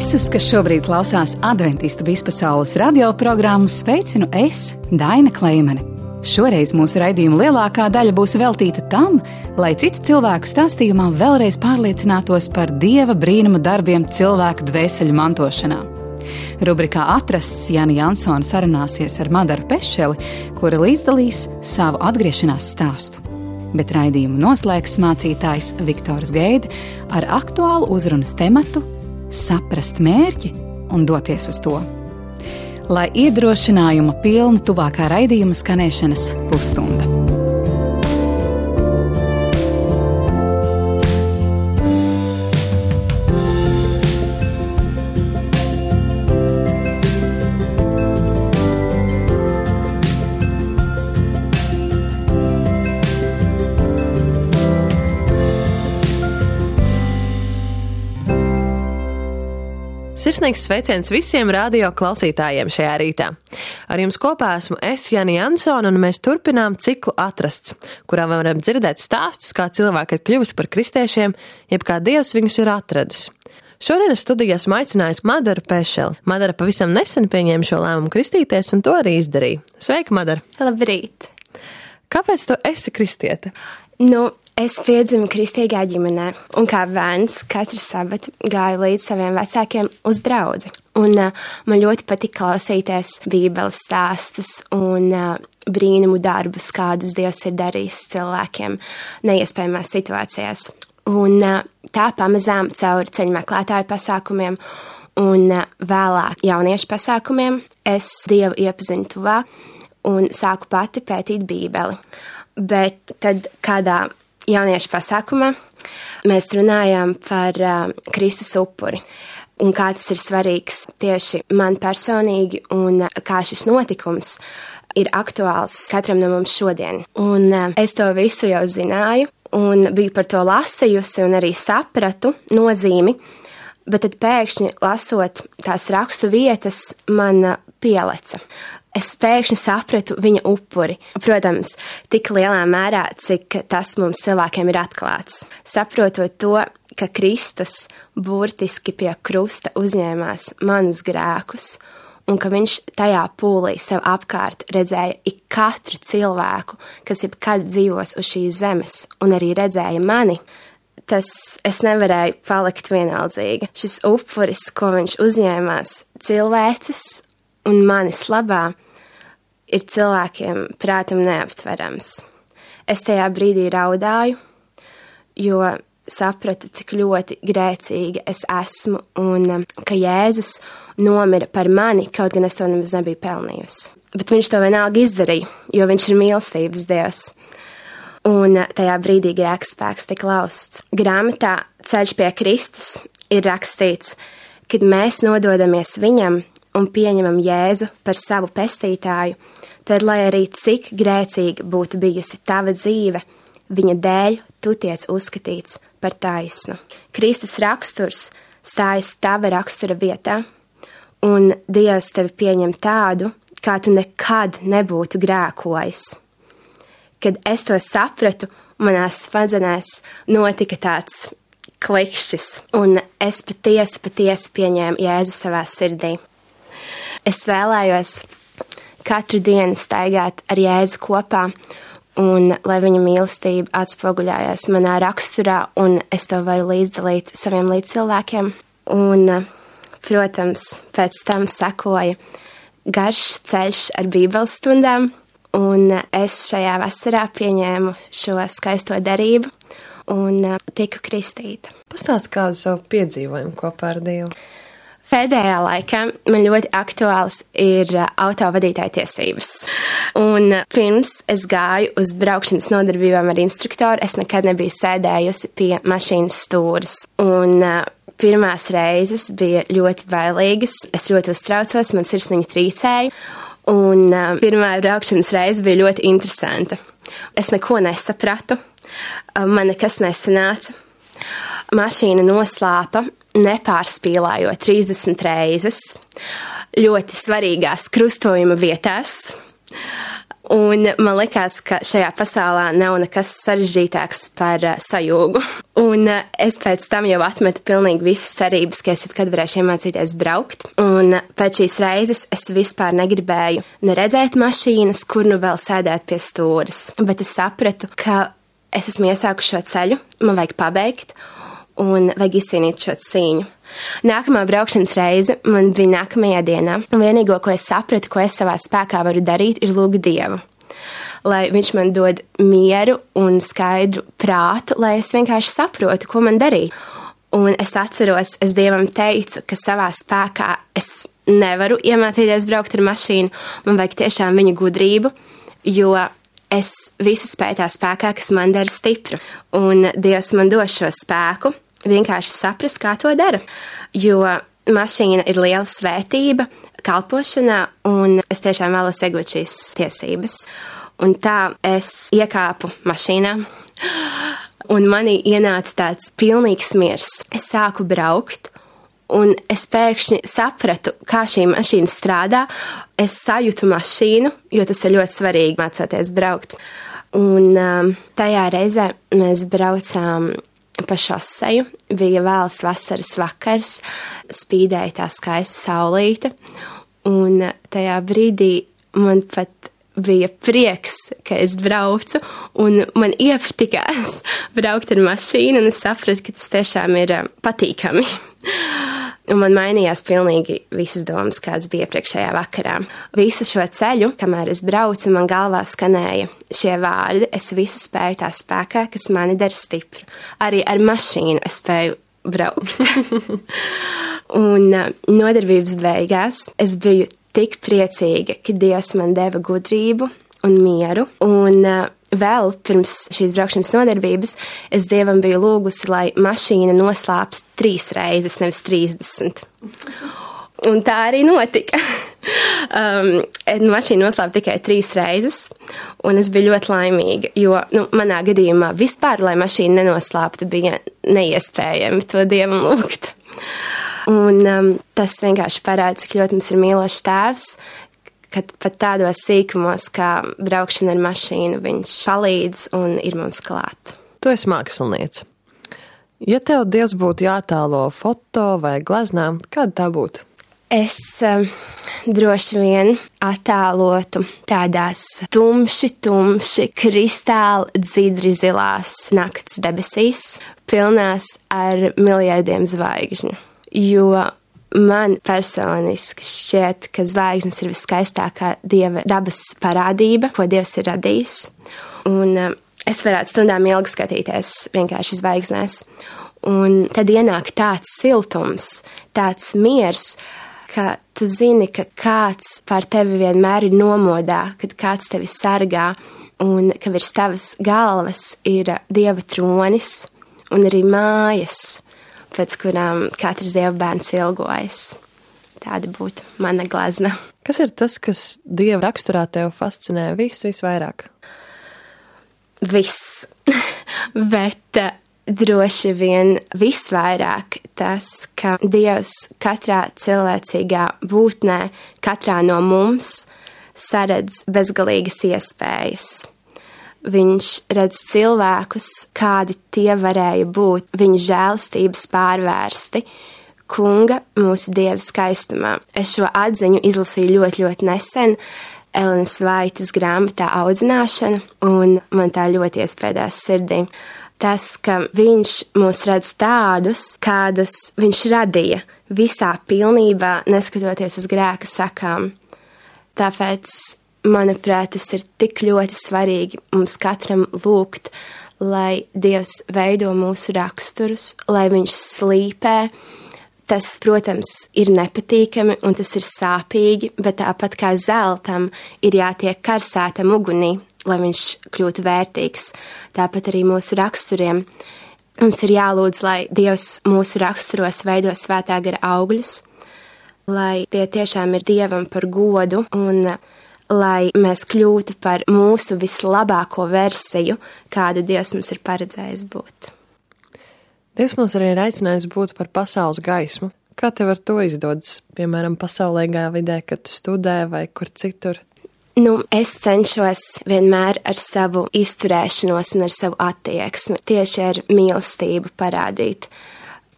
Visus, kas šobrīd klausās Adventistu vispasaules radioprogrammu, sveicinu es, Daina Kleimane. Šoreiz mūsu raidījuma lielākā daļa būs veltīta tam, lai citu cilvēku stāstījumā vēlreiz pārliecinātos par Dieva brīnuma darbiem cilvēku dvēseļu mantošanā. Rubrikā Atrasts Jāni Jansone sarunāsies ar Madaru Pešeli, kura līdzdalīs savu atgriešanās stāstu. Bet raidījumu noslēgs mācītājs Viktors Geide ar aktuālu uzrunas tematu saprast mērķi un doties uz to. Lai iedrošinājuma pilna tuvākā raidījuma skanēšanas pusstunda. Sirsnīgs sveiciens visiem radio klausītājiem šajā rītā. Ar jums kopā esmu es, Jāni Jansone, un mēs turpinām ciklu Atrasts, kurā varam dzirdēt stāstus, kā cilvēki ir kļuvuši par kristiešiem, jeb kā Dievs viņus ir atradis. Šodienas studijā esmu aicinājusi Madaru Pešeli. Madara pavisam nesen pieņēma šo lēmumu kristīties, un to arī izdarīja. Sveika, Madara! Labrīt! Kāpēc tu esi kristiete? Es piedzimu kristīgā ģimenē, un kā bērns katru sabatu gāju līdz saviem vecākiem uz draudzi. Un man ļoti patika klausīties Bībeles stāstus un brīnumu darbus, kādus Dievs ir darījis cilvēkiem neiespējamās situācijās. Un tā pamazām caur ceļu meklētāju pasākumiem un vēlāk jauniešu pasākumiem es Dievu iepazinu tuvāk un sāku pati pētīt Bībeli. Bet tad kādā jauniešu pasākumā mēs runājām par Kristus upuri un kā tas ir svarīgs tieši man personīgi un kā šis notikums ir aktuāls katram no mums šodien. Un es to visu jau zināju un biju par to lasījusi un arī sapratu nozīmi, bet tad pēkšņi lasot tās rakstu vietas man pieleca. Es pēkšņi sapratu viņa upuri. Protams, tik lielā mērā, cik tas mums cilvēkiem ir atklāts. Saprotot to, ka Kristus burtiski pie krusta uzņēmās manus grēkus un ka viņš tajā pūlī sev apkārt redzēja ik katru cilvēku, kas jebkad dzīvos uz šīs zemes un arī redzēja mani, tas es nevarēju palikt vienaldzīga. Šis upuris, ko viņš uzņēmās cilvēces un manis labā, ir cilvēkiem prātam neaptverams. Es tajā brīdī raudāju, jo sapratu, cik ļoti grēcīga es esmu un ka Jēzus nomira par mani, kaut gan es to nemaz nebiju pelnījusi. Bet viņš to vienalga izdarīja, jo viņš ir mīlestības Dievs. Un tajā brīdī grēka spēks tika lausts. Grāmatā Ceļš pie Kristus ir rakstīts, kad mēs nododamies viņam un pieņemam Jēzu par savu pestītāju, tad, lai arī cik grēcīga būtu bijusi tava dzīve, viņa dēļ tu tiec uzskatīts par taisnu. Kristus raksturs stājas tava rakstura vietā, un Dievs tevi pieņem tādu, kā tu nekad nebūtu grēkojis. Kad es to sapratu, manās smadzenēs notika tāds klikšķis, un es patiesi pieņēmu Jēzu savā sirdī. Es vēlējos katru dienu staigāt ar Jēzu kopā, un lai viņa mīlestība atspoguļājās manā raksturā, un es to varu līdzdalīt saviem līdzcilvēkiem. Un, protams, pēc tam sekoja garš ceļš ar Bībeles stundām, un es šajā vasarā pieņēmu šo skaisto derību un tiku kristīta. Pastāsti kādu savu piedzīvojumu kopā ar Dievu. Pēdējā laikā man ļoti aktuāls ir autovadītāja tiesības. Un pirms es gāju uz braukšanas nodarbībām ar instruktoru, es nekad nebiju sēdējusi pie mašīnas stūres. Un pirmās reizes bija ļoti bailīgas, es ļoti uztraucos, man sirsniņa trīcēja. Un pirmā braukšanas reize bija ļoti interesanta. Es neko nesapratu, man nekas nesanāca. Mašīna noslāpa, nepārspīlājot 30 reizes, ļoti svarīgās krustojuma vietās. Un man likās, ka šajā pasaulē nav nekas sarežģītāks par sajūgu. Un es pēc tam jau atmetu pilnīgi visas cerības, ka es jebkad varēšu iemācīties braukt. Un pēc šīs reizes es vispār negribēju neredzēt mašīnas, kur nu vēl sēdēt pie stūres. Bet es sapratu, ka es esmu iesākuši šo ceļu, man vajag pabeigt un vajag izcīnīt šo cīņu. Nākamā braukšanas reize man bija nākamajā dienā, un vienīgo, ko es sapratu, ko es savā spēkā varu darīt, ir lūgt Dievu. Lai viņš man dod mieru un skaidru prātu, lai es vienkārši saprotu, ko man darīt. Un es atceros, es Dievam teicu, ka savā spēkā es nevaru iemācīties braukt ar mašīnu, man vajag tiešām viņa gudrību, jo es visu spēju tā spēkā, kas man dara stipru. Un Dievs man dos šo spēku, vienkārši saprast, kā to dara. Jo mašīna ir liela svētība kalpošanā, un es tiešām vēlos iegūt šīs tiesības. Un tā es iekāpu mašīnā, un manī ienāca tāds pilnīgs miers. Es sāku braukt, un es pēkšņi sapratu, kā šī mašīna strādā. Es sajūtu mašīnu, jo tas ir ļoti svarīgi mācoties braukt. Un tajā reizē mēs braucām pa šoseju, bija vēls vasaras vakars, spīdēja tā skaista saulīte, un tajā brīdī man pat bija prieks, ka es braucu, un man iepatikās braukt ar mašīnu, un es sapratu, ka tas tiešām ir patīkami. Un man mainījās pilnīgi visas domas, kādas bija iepriekšējā vakarā. Visu šo ceļu, kamēr es braucu, man galvā skanēja šie vārdi: es visu spēju tā spēkā, kas mani dara stipru. Arī ar mašīnu es spēju braukt. Un nodarbības beigās es biju tik priecīga, ka Dievs man deva gudrību un mieru. Un vēl pirms šīs braukšanas nodarbības es Dievam biju lūgusi, lai mašīna noslāpst 3 reizes, nevis 30. Un tā arī notika. Mašīna noslāpa tikai 3 reizes, un es biju ļoti laimīga, jo manā gadījumā vispār, lai mašīna nenoslāptu, bija neiespējami to Dievam lūgt. Un tas vienkārši parāda, cik ļoti mums ir mīlošs tēvs, kad pat tādos sīkumos, kā braukšana ar mašīnu, viņš palīdz un ir mums klāt. Tu esi māksliniece. Ja tev Dievs būtu jātēlo foto vai gleznā, kāda tā būtu? Es droši vien attēlotu tādās tumši, kristāli dzidri zilās nakts debesīs, pilnās ar miljardiem zvaigžņu. Jo man personiski šķiet, ka zvaigznes ir viskaistākā Dieva dabas parādība, ko Dievs ir radījis. Un es varētu stundām ilgi skatīties vienkārši zvaigznēs. Un tad ienāk tāds siltums, tāds miers, ka tu zini, ka kāds par tevi vienmēr ir nomodā, kad kāds tevi sargā, un ka virs tavas galvas ir Dieva tronis un arī mājas, pēc kurām katrs Dieva bērns ilgojas. Tāda būtu mana glezna. Kas ir tas, kas Dieva raksturā tev fascinē visvairāk? Viss. Bet droši vien visvairāk tas, ka Dievs katrā cilvēcīgā būtnē, katrā no mums saredz bezgalīgas iespējas. Viņš redz cilvēkus, kādi tie varēja būt, viņa žēlstības pārvērsti, kunga mūsu Dieva skaistumā. Es šo atziņu izlasīju ļoti nesen Elenas Vaitas grāmatā Audzināšana, un man tā ļoti iespēdās sirdī. Tas, ka viņš mūs redz tādus, kādus viņš radīja, visā pilnībā, neskatoties uz grēka sakām. Tāpēc manuprāt, tas ir tik ļoti svarīgi mums katram lūgt, lai Dievs veido mūsu raksturus, lai viņš slīpē. Tas, protams, ir nepatīkami un tas ir sāpīgi, bet tāpat kā zeltam ir jātiek karsētam ugunī, lai viņš kļūtu vērtīgs. Tāpat arī mūsu raksturiem. Mums ir jālūdz, lai Dievs mūsu raksturos veido svētā gara augļus, lai tie tiešām ir Dievam par godu un lai mēs kļūtu par mūsu vislabāko versiju, kādu Dievs mums ir paredzējis būt. Dievs mums arī ir aicinājis būt par pasaules gaismu. Kā tev ar to izdodas, piemēram, pasaulīgā vidē, kad tu studē vai kur citur? Es cenšos vienmēr ar savu izturēšanos un ar savu attieksmi, tieši ar mīlestību parādīt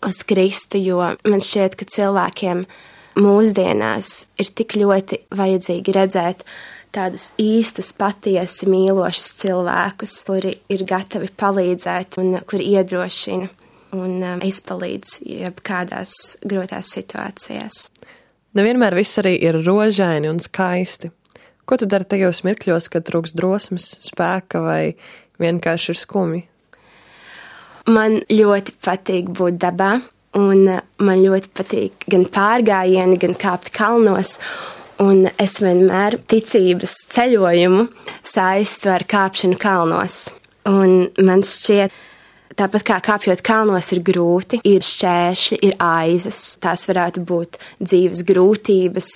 uz Kristu, jo man šķiet, ka cilvēkiem mūsdienās ir tik ļoti vajadzīgi redzēt tādus īstus, patiesi mīlošus cilvēkus, kuri ir gatavi palīdzēt un kuri iedrošina un izpalīdz jebkādās grūtās situācijās. Nevienmēr viss arī ir rožaini un skaisti. Ko tu dari tajos mirkļos, kad trūks drosmes, spēka vai vienkārši ir skumji? Man ļoti patīk būt dabā, un man ļoti patīk gan pārgājieni, gan kāpt kalnos, un es vienmēr ticības ceļojumu saistu ar kāpšanu kalnos. Un man šķiet, tāpat kā kāpjot kalnos ir grūti, ir šķēršļi, ir aizas. Tās varētu būt dzīves grūtības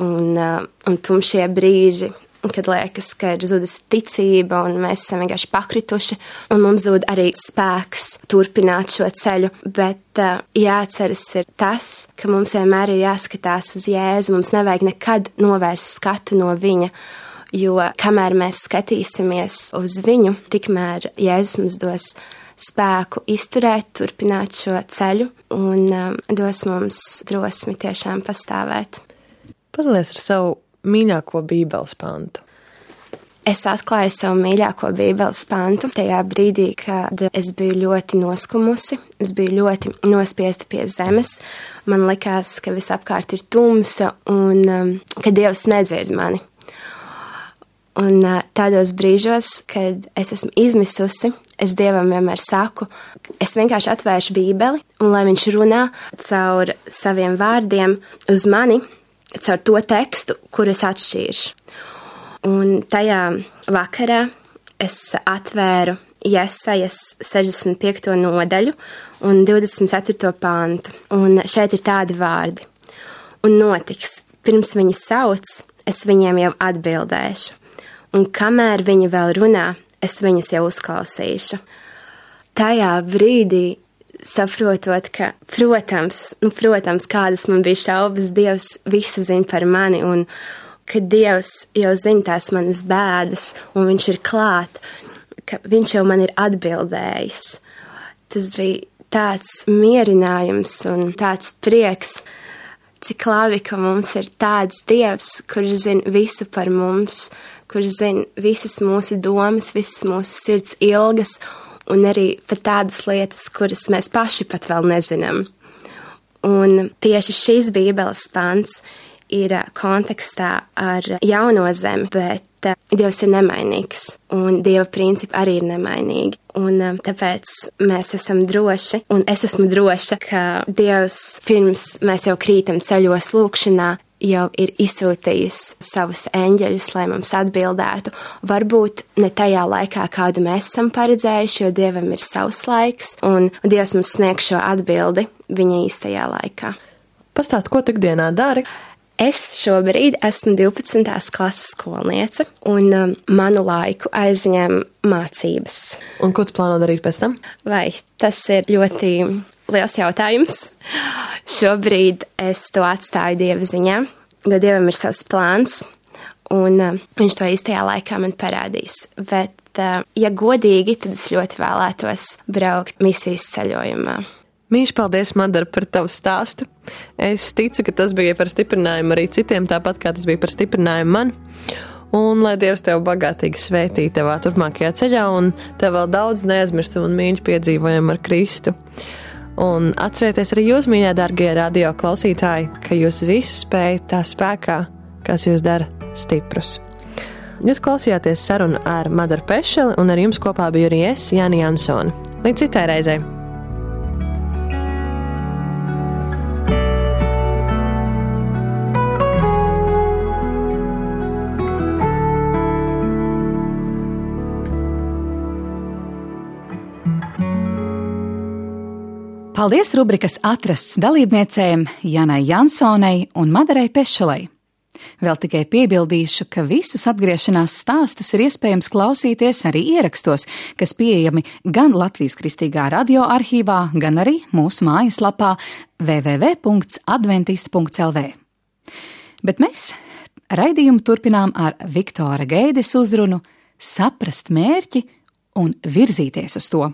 un tumšie brīži, kad liekas, ka ir zudusi ticība un mēs esam vienkārši pakrituši. Un mums zūd arī spēks turpināt šo ceļu, bet jāatceras ir tas, ka mums vienmēr ir jāskatās uz Jēzu. Mums nevajag nekad novērst skatu no viņa, jo kamēr mēs skatīsimies uz viņu, tikmēr Jēzus mums dos spēku izturēt, turpināt šo ceļu un dos mums drosmi tiešām pastāvēt. Padalies ar savu mīļāko Bībeles pantu. Es atklāju savu mīļāko Bībeles pantu tajā brīdī, kad es biju ļoti noskumusi, es biju ļoti nospiesta pie zemes. Man likās, ka visapkārt ir tumsa un ka Dievs nedzird mani. Un tādos brīžos, kad es esmu izmisusi, es Dievam vienmēr saku, es vienkārši atvēršu Bībeli, un lai viņš runā caur saviem vārdiem uz mani, caur to tekstu, kur es atšķīršu. Un tajā vakarā es atvēru Jesajas 65. nodaļu un 24. pantu, un šeit ir tādi vārdi. Un notiks, pirms viņi sauc, es viņiem jau atbildēšu. Un kamēr viņi vēl runā, es viņus jau uzklausīšu. Tajā brīdī, saprotot, ka, protams, kādas man bija šaubas, Dievs visu zina par mani, un ka Dievs jau zina tās manas bēdas, un viņš ir klāt, ka viņš jau man ir atbildējis. Tas bija tāds mierinājums un tāds prieks, cik labi, ka mums ir tāds Dievs, kurš zina visu par mums, kurš zina visas mūsu domas, visas mūsu sirds ilgas, un arī pat tādas lietas, kuras mēs paši pat vēl nezinām. Un tieši šīs Bībeles pants ir kontekstā ar jauno zemi, bet Dievs ir nemainīgs, un Dieva principi arī ir nemainīgi. Un tāpēc mēs esam droši, un es esmu droša, ka Dievs pirms mēs jau krītam ceļos lūkšanā, jau ir izsūtījis savus eņģeļus, lai mums atbildētu. Varbūt ne tajā laikā, kādu mēs esam paredzējuši, jo Dievam ir savs laiks, un Dievs mums sniegs šo atbildi viņa īstajā laikā. Pastāst, ko tu ikdienā dari? Es šobrīd esmu 12. klases skolniece, un manu laiku aizņem mācības. Un ko tu plāno darīt pēc tam? Vai tas ir ļoti liels jautājums. Šobrīd es to atstāju Dieva ziņā, jo Dievam ir savs plāns, un viņš to īstajā laikā man parādīs. Bet, ja godīgi, tad es ļoti vēlētos braukt misijas ceļojumā. Mīļš, paldies, Madara, par tavu stāstu. Es ticu, ka tas bija par stiprinājumu arī citiem, tāpat kā tas bija par stiprinājumu man. Un lai Dievs tev bagātīgi svētī tevā turpmākajā ceļā, un tev vēl daudz neaizmirstu un mīļu piedzīvojumu ar Kristu. Un atcerieties arī jūs, mīļā dārgie radio klausītāji, ka jūs visu spējat tā spēkā, kas jūs dara stiprus. Jūs klausījāties sarunu ar Madaru Pešeli, un ar jums kopā biju arī es, Jāni Jansone. Līdz citai reizei! Paldies rubrikas atrasts dalībniecēm Janai Jansonei un Madarai Pešelei. Vēl tikai piebildīšu, ka visus atgriešanās stāstus ir iespējams klausīties arī ierakstos, kas pieejami gan Latvijas Kristīgā radio arhīvā, gan arī mūsu mājaslapā www.adventist.lv. Bet mēs Raidījumu turpinām ar Viktora Geides uzrunu Saprast mērķi un virzīties uz to.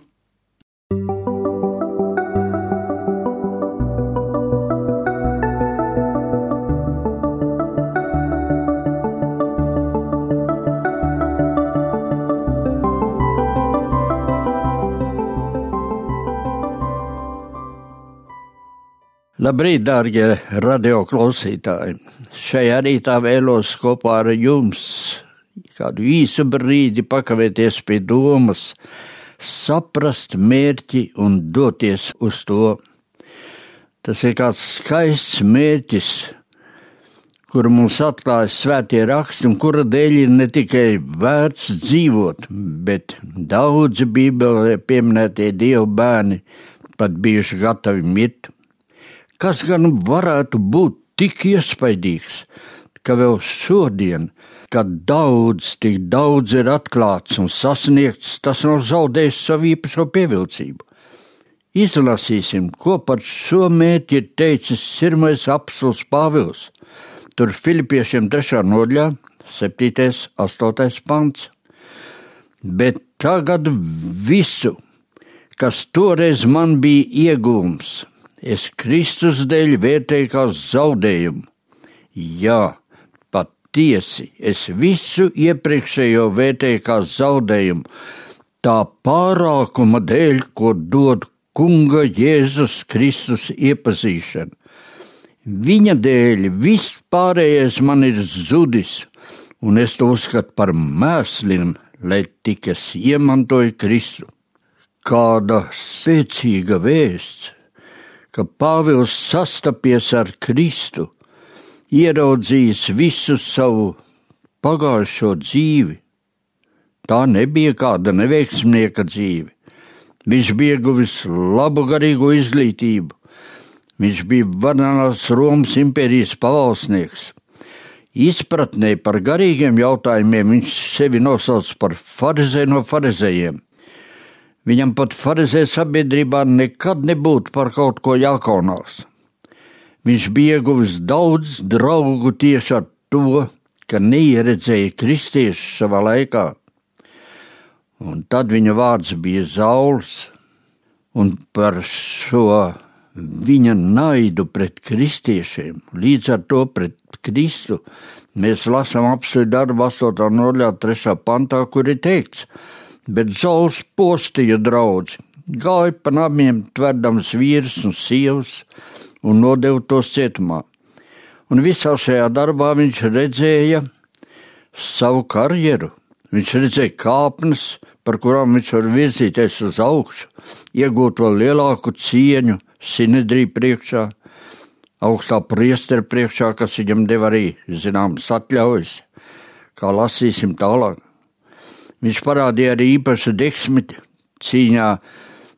Labrīt, dārgie radio klausītāji! Šajā rītā vēlos kopā ar jums kādu īsu brīdi pakavēties pie domas, saprast mērķi un doties uz to. Tas ir kāds skaists mērķis, kuru mums atklāja svētie raksti un kura dēļ ir ne tikai vērts dzīvot, bet daudzi Bībelē pieminētie Dievu bērni pat bijuši gatavi mirt. Kas gan varētu būt tik iespaidīgs, ka vēl šodien, kad tik daudz ir atklāts un sasniegts, tas nav zaudējis savu īpašo pievilcību. Izlasīsim, ko par šo mērķi ir teicis sirmais apostols Pāvils. Tur Filipiešiem 3. nodaļā, 7. 8. pants. Bet tagad visu, kas toreiz man bija iegūms, es Kristus dēļ vērtēju kā zaudējumu. Jā, patiesi, es visu iepriekšējo vērtēju kā zaudējumu, tā pārākuma dēļ, ko dod Kunga Jēzus Kristus iepazīšana. Viņa dēļ viss pārējais man ir zudis, un es to uzskatu par mēsliem, lai tik es iemantoju Kristu. Kāda spēcīga vēsts, ka Pāvils sastapies ar Kristu, ieraudzījis visu savu pagājušo dzīvi. Tā nebija kāda neveiksmnieka dzīve. Viņš bija guvis labu garīgo izglītību. Viņš bija varenās Romas impērijas pavalsnieks. Izpratnē par garīgiem jautājumiem viņš sevi nosauc par farizēju no farizējiem. Viņam pat farizēju sabiedrībā nekad nebūtu par kaut ko jākaunās. Viņš bija ieguvis daudz draugu tieši ar to, ka neieredzēja kristiešu savā laikā. Un tad viņa vārds bija Sauls, un par šo viņa naidu pret kristiešiem, līdz ar to pret Kristu, mēs lasām apostoļu darbu 8. nodaļā 3. pantā, kur ir teikts: bet Sauls postīja draudzi, gāja pa namiem tverdams vīrus un sievas un nodeva tos cietumā. Un visā šajā darbā viņš redzēja savu karjeru. Viņš redzēja kāpnes, par kurām viņš var virzīties uz augšu, iegūt vēl lielāku cieņu Sinedrija priekšā, augstā priestera priekšā, kas viņam deva arī zināmas atļaujas, kā lasīsim tālāk. Viņš parādīja arī īpašu deksmi cīņā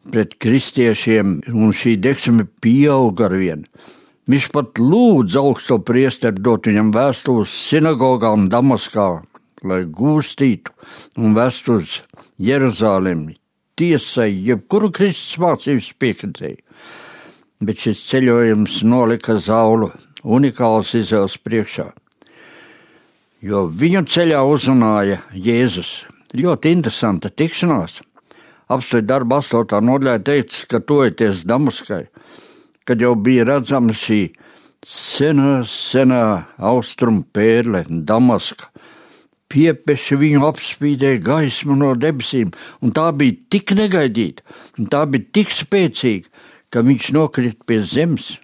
pret kristiešiem, un šī deksme pieauga arvien. Viņš pat lūdz augsto priesteru dot viņam vēstu uz sinagogām Damaskā, lai gūstītu un vēstu uz Jeruzalemi, tiesai, jebkuru Kristus mācības piekritēju. Bet šis ceļojums nolika Saulu unikāls izvēles priekšā, jo viņu ceļā uzrunāja Jēzus. Ļoti interesanta tikšanās. Apostoļu darbu 8. nodaļā teica, ka tojoties Damaskai, kad jau bija redzama šī senā austrumu pērle Damaska, piepeši viņu apspīdēja gaisma no debesīm, un tā bija tik negaidīta, un tā bija tik spēcīga, ka viņš nokrita pie zemes,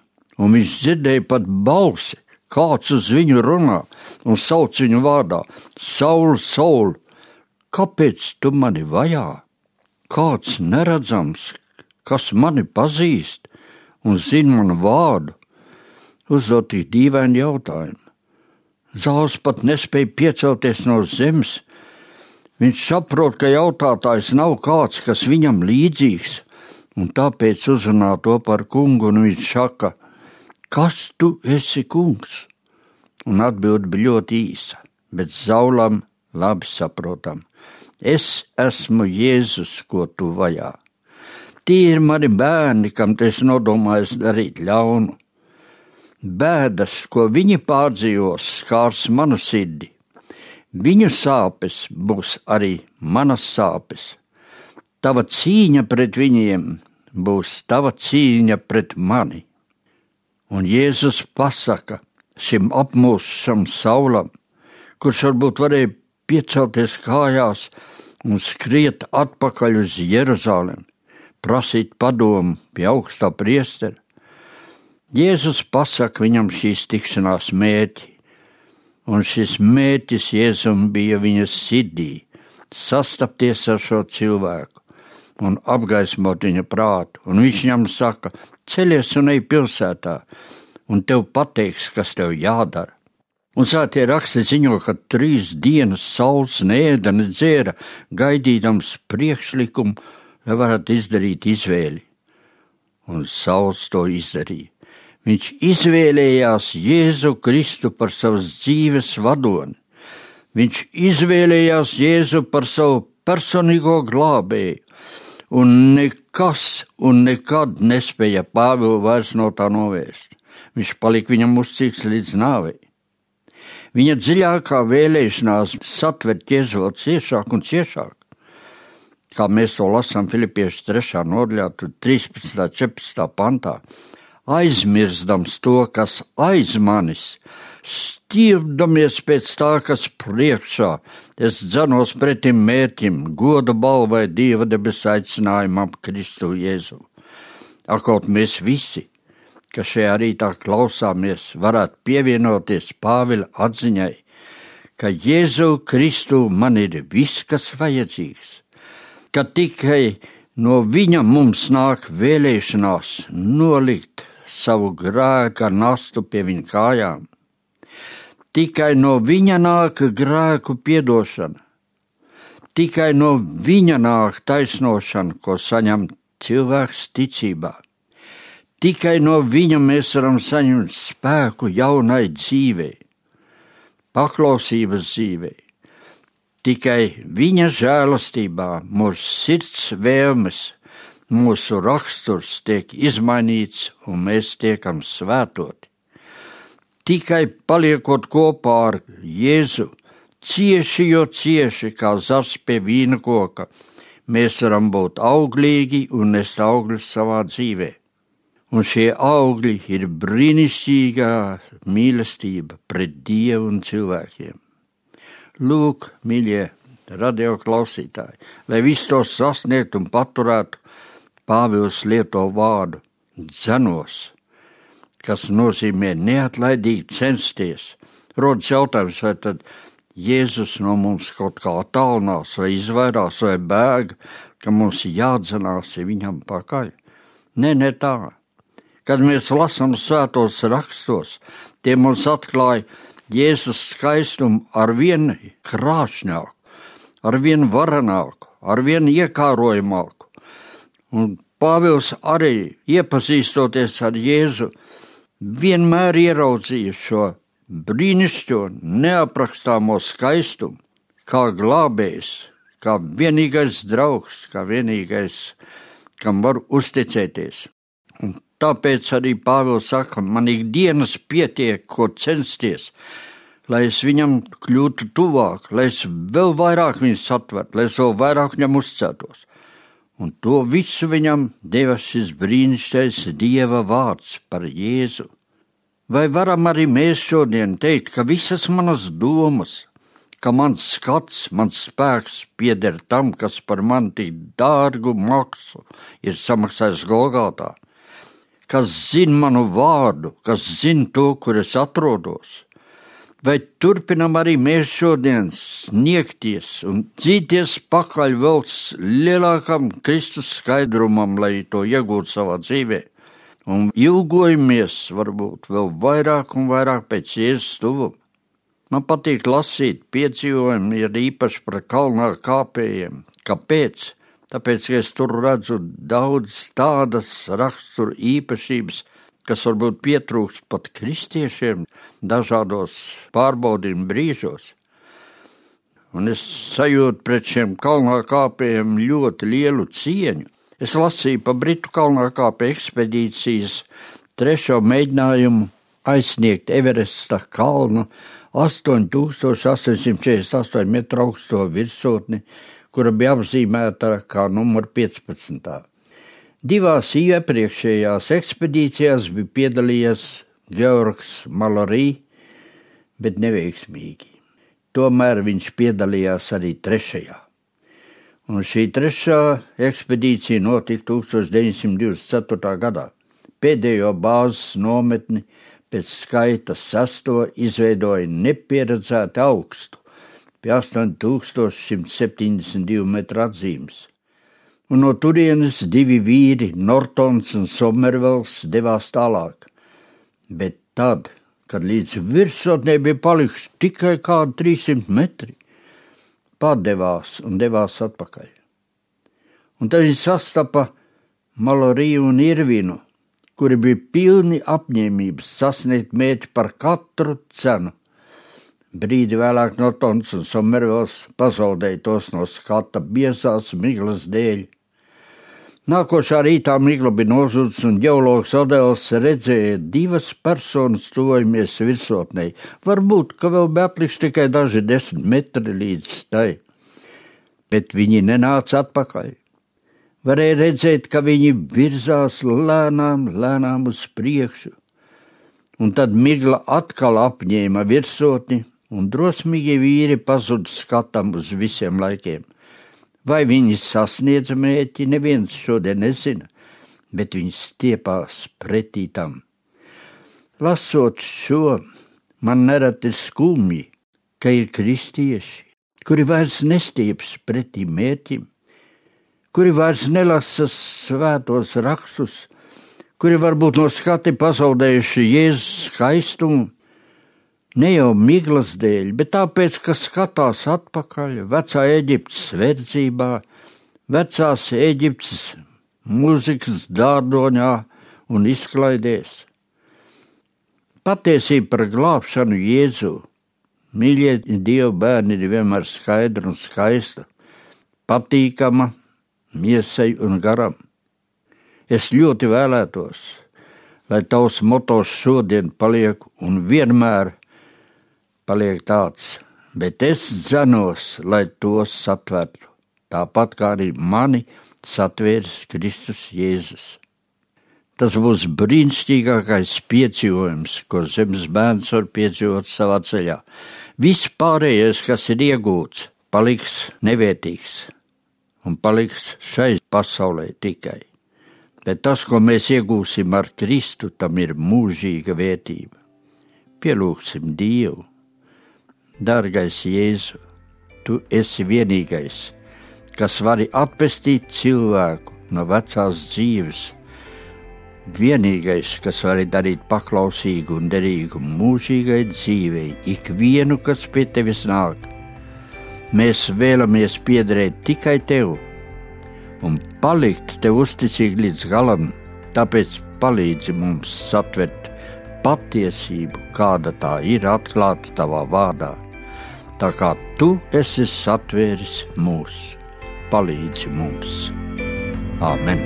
un viņš dzirdēja pat balsi, kāds uz viņu runā un sauc viņu vārdā: Saul, Saul, kāpēc tu mani vajā? Kāds neredzams, kas mani pazīst un zina manu vārdu, uzdot tik dīvaini jautājumu. Sauls pat nespēja piecelties no zemes. Viņš saprot, ka jautātājs nav kāds, kas viņam līdzīgs, un tāpēc uzrunā to par kungu, un viņš saka: kas tu esi, kungs? Un atbilde bija ļoti īsa, bet Saulam labi saprotam: es esmu Jēzus, ko tu vajā. Tie ir mani bērni, kam tu esi nodomājis darīt ļaunu. Bēdas, ko viņi pārdzīvos, skārs manu sirdi. Viņu sāpes būs arī manas sāpes. Tava cīņa pret viņiem būs tava cīņa pret mani. Un Jēzus pasaka šim apmūšam Saulam, kurš varbūt varēja piecelties kājās un skriet atpakaļ uz Jeruzalem, prasīt padomu pie augstā priestera. Jēzus pasaka viņam šīs tikšanās mērķi, un šis mērķis Jēzum bija viņa sirdī, sastapties ar šo cilvēku un apgaismot viņa prātu. Un viņš viņam saka, ceļies un ej pilsētā, un tev pateiks, kas tev jādara. Un svētie raksti ziņo, ka 3 dienas Sauls neēda, nedzēra, gaidīdams priekšlikumu, lai varētu izdarīt izvēli. Un Sauls to izdarīja. Viņš izvēlējās Jēzu Kristu par savas dzīves vadoni. Viņš izvēlējās Jēzu par savu personīgo glābēju, un nekas un nekad nespēja Pāvilu vairs no tā novērst. Viņš palika viņam uzticīgs līdz nāvei. Viņa dziļākā vēlēšanās satvert Jēzu vēl ciešāk un ciešāk, kā mēs to lasām Filipiešu 3. nodaļā, 13. 14. pantā, aizmirstams to, kas aiz manis, stiepdamies pēc tā, kas priekšā, es dzenos pretim mērķim, goda balvai Dieva debesu aicinājumam Kristu Jēzu. Kaut mēs visi, kas šajā rītā klausāmies, varētu pievienoties Pāvila atziņai, ka Jēzu Kristu man ir viss, kas vajadzīgs, ka tikai no viņa mums nāk vēlēšanās nolikt savu grēka nastu pie viņa kājām. Tikai no viņa nāk grēku piedošana. Tikai no viņa nāk taisnošana, ko saņem cilvēks ticībā. Tikai no viņa mēs varam saņemt spēku jaunai dzīvei, paklausības dzīvei. Tikai viņa žēlastībā mūsu sirds vēlmes, mūsu raksturs tiek izmainīts un mēs tiekam svētoti. Tikai paliekot kopā ar Jēzu, cieši kā zars pie vīna koka, mēs varam būt auglīgi un nest augļus savā dzīvē. Un šie augļi ir brīnišķīgā mīlestība pret Dievu un cilvēkiem. Lūk, mīļie radio klausītāji, lai visu to sasniegt un paturētu, Pāvils lieto vārdu dzenos, kas nozīmē neatlaidīgi censties. Rodas jautājums, vai tad Jēzus no mums kaut kā attālinās, vai izvairās, vai bēg, ka mums jādzenās viņam pakaļ. Ne tā. Kad mēs lasām svētos rakstos, tie mums atklāja Jēzus skaistumu ar vien krāšņāku, ar vien varenāku, ar vien iekārojamāku. Un Pāvils arī, iepazīstoties ar Jēzu, vienmēr ieraudzīja šo brīnišķo, neaprakstāmo skaistumu, kā glābējs, kā vienīgais draugs, kā vienīgais, kam var uzticēties. Un tāpēc arī Pāvils saka, man ikdienas pietiek, ko censties, lai es viņam kļūtu tuvāk, lai es vēl vairāk viņu satvertu, lai es vēl vairāk viņam uzticētos. Un to visu viņam deva šis brīnišķīgais Dieva vārds par Jēzu. Vai varam arī mēs šodien teikt, ka visas manas domas, ka mans skats, mans spēks pieder tam, kas par mani tik dārgu maksu ir samaksājis Golgātā, kas zina manu vārdu, kas zina to, kur es atrodos? Vai turpinam arī mēs šodien sniegties un dzīties pakaļ vēl lielākam Kristus skaidrumam, lai to iegūtu savā dzīvē? Un ilgojamies varbūt vēl vairāk un vairāk pēc Jēzus tuvuma. Man patīk lasīt piedzīvojumi, ir īpaši par kalnā kāpējiem. Kāpēc? Tāpēc, ka es tur redzu daudz tādas rakstura īpašības, kas varbūt pietrūkst pat kristiešiem dažādos pārbaudījumu brīžos. Un es sajūtu pret šiem kalnā kāpējiem ļoti lielu cieņu. Es lasīju pa Britu kalnā kāpēju ekspedīcijas 3. mēģinājumu aizsniegt Everesta kalnu 8848 metru augsto virsotni, kura bija apzīmēta kā numur 15. Divās iepriekšējās ekspedīcijās bija piedalījies Georgs Mallory, bet neveiksmīgi. Tomēr viņš piedalījās arī trešajā. Un šī trešā ekspedīcija notika 1924. gadā. Pēdējo bāzes nometni pēc skaita 6. izveidoja nepieredzēti augstu, pie 8172 metru atzīmes. Un no turienes divi vīri, Nortons un Somervels, devās tālāk. Bet tad, kad līdz virsotnē bija palikuši tikai kādi 300 metri, padevās un devās atpakaļ. Un tad viņi sastapa Mallory un Irvinu, kuri bija pilni apņēmības sasniegt mērķi par katru cenu. Brīdi vēlāk Nortons un Somervels pazaudēja tos no skata biezās miglas dēļ. Nākošā rītā migla bija nozudus un ģeologs Odels redzēja divas personas tuvojamies virsotnei. Varbūt, ka vēl bija atlikuši tikai daži 10 metri līdz tai, bet viņi nenāca atpakaļ. Varēja redzēt, ka viņi virzās lēnām uz priekšu, un tad migla atkal apņēma virsotni, un drosmīgie vīri pazuda skatam uz visiem laikiem. Vai viņi sasniedza mērķi, neviens šodien nezina, bet viņi stiepās pretī tam. Lasot šo, man nereti ir skumji, ka ir kristieši, kuri vairs nestieps pretī mērķim, kuri vairs nelasa svētos rakstus, kuri varbūt no skati pazaudējuši Jēzus skaistumu, ne jau miglas dēļ, bet tāpēc, ka skatās atpakaļ vecā Eģiptes verdzībā, vecās Eģiptes mūzikas dārdoņā un izklaidēs. Patiesība par glābšanu Jēzu, mīļie Dieva bērni, ir vienmēr skaidra un skaista, patīkama miesai un garam. Es ļoti vēlētos, lai tavs motos šodien paliek un vienmēr paliek tāds, bet es dzenos, lai tos satvertu, tāpat kā arī mani satvērs Kristus Jēzus. Tas būs brīnišķīgākais piedzīvojums, ko zemes bērns var piedzīvot savā ceļā. Viss pārējais, kas ir iegūts, paliks nevērtīgs un paliks šai pasaulē tikai. Bet tas, ko mēs iegūsim ar Kristu, tam ir mūžīga vērtība. Pielūgsim Dievu. Dārgais Jēzu, tu esi vienīgais, kas vari atpestīt cilvēku no vecās dzīves, vienīgais, kas vari darīt paklausīgu un derīgu mūžīgai dzīvei ikvienu, kas pie tevis nāk. Mēs vēlamies piederēt tikai tev un palikt tev uzticīgi līdz galam, tāpēc palīdzi mums satvert patiesību, kāda tā ir atklāta tavā vārdā. Tā kā tu esi satvēris mūs, palīdzi mums. Āmen.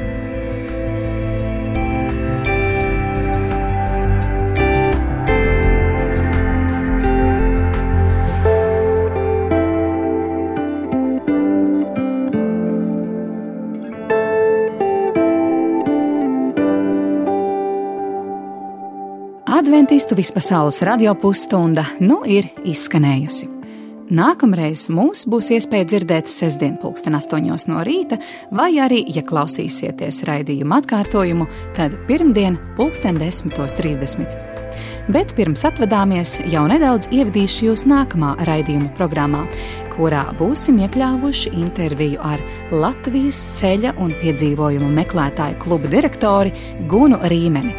Adventistu vispasaules radio pusstunda nu ir izskanējusi. Nākamreiz mums būs iespēja dzirdēt sestdien 8:00 no rīta, vai arī, ja klausīsieties raidījuma atkārtojumu, tad pirmdien 10:30. Bet pirms atvadāmies, jau nedaudz ievadīšu jūs nākamā raidījuma programmā, kurā būsim iekļāvuši interviju ar Latvijas ceļa un piedzīvojumu meklētāju kluba direktori Gunu Rīmeni.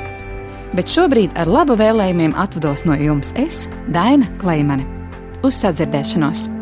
Bet šobrīd ar laba vēlējumiem atvados no jums es, Daina Kleimane. Uz sadzirdēšanos!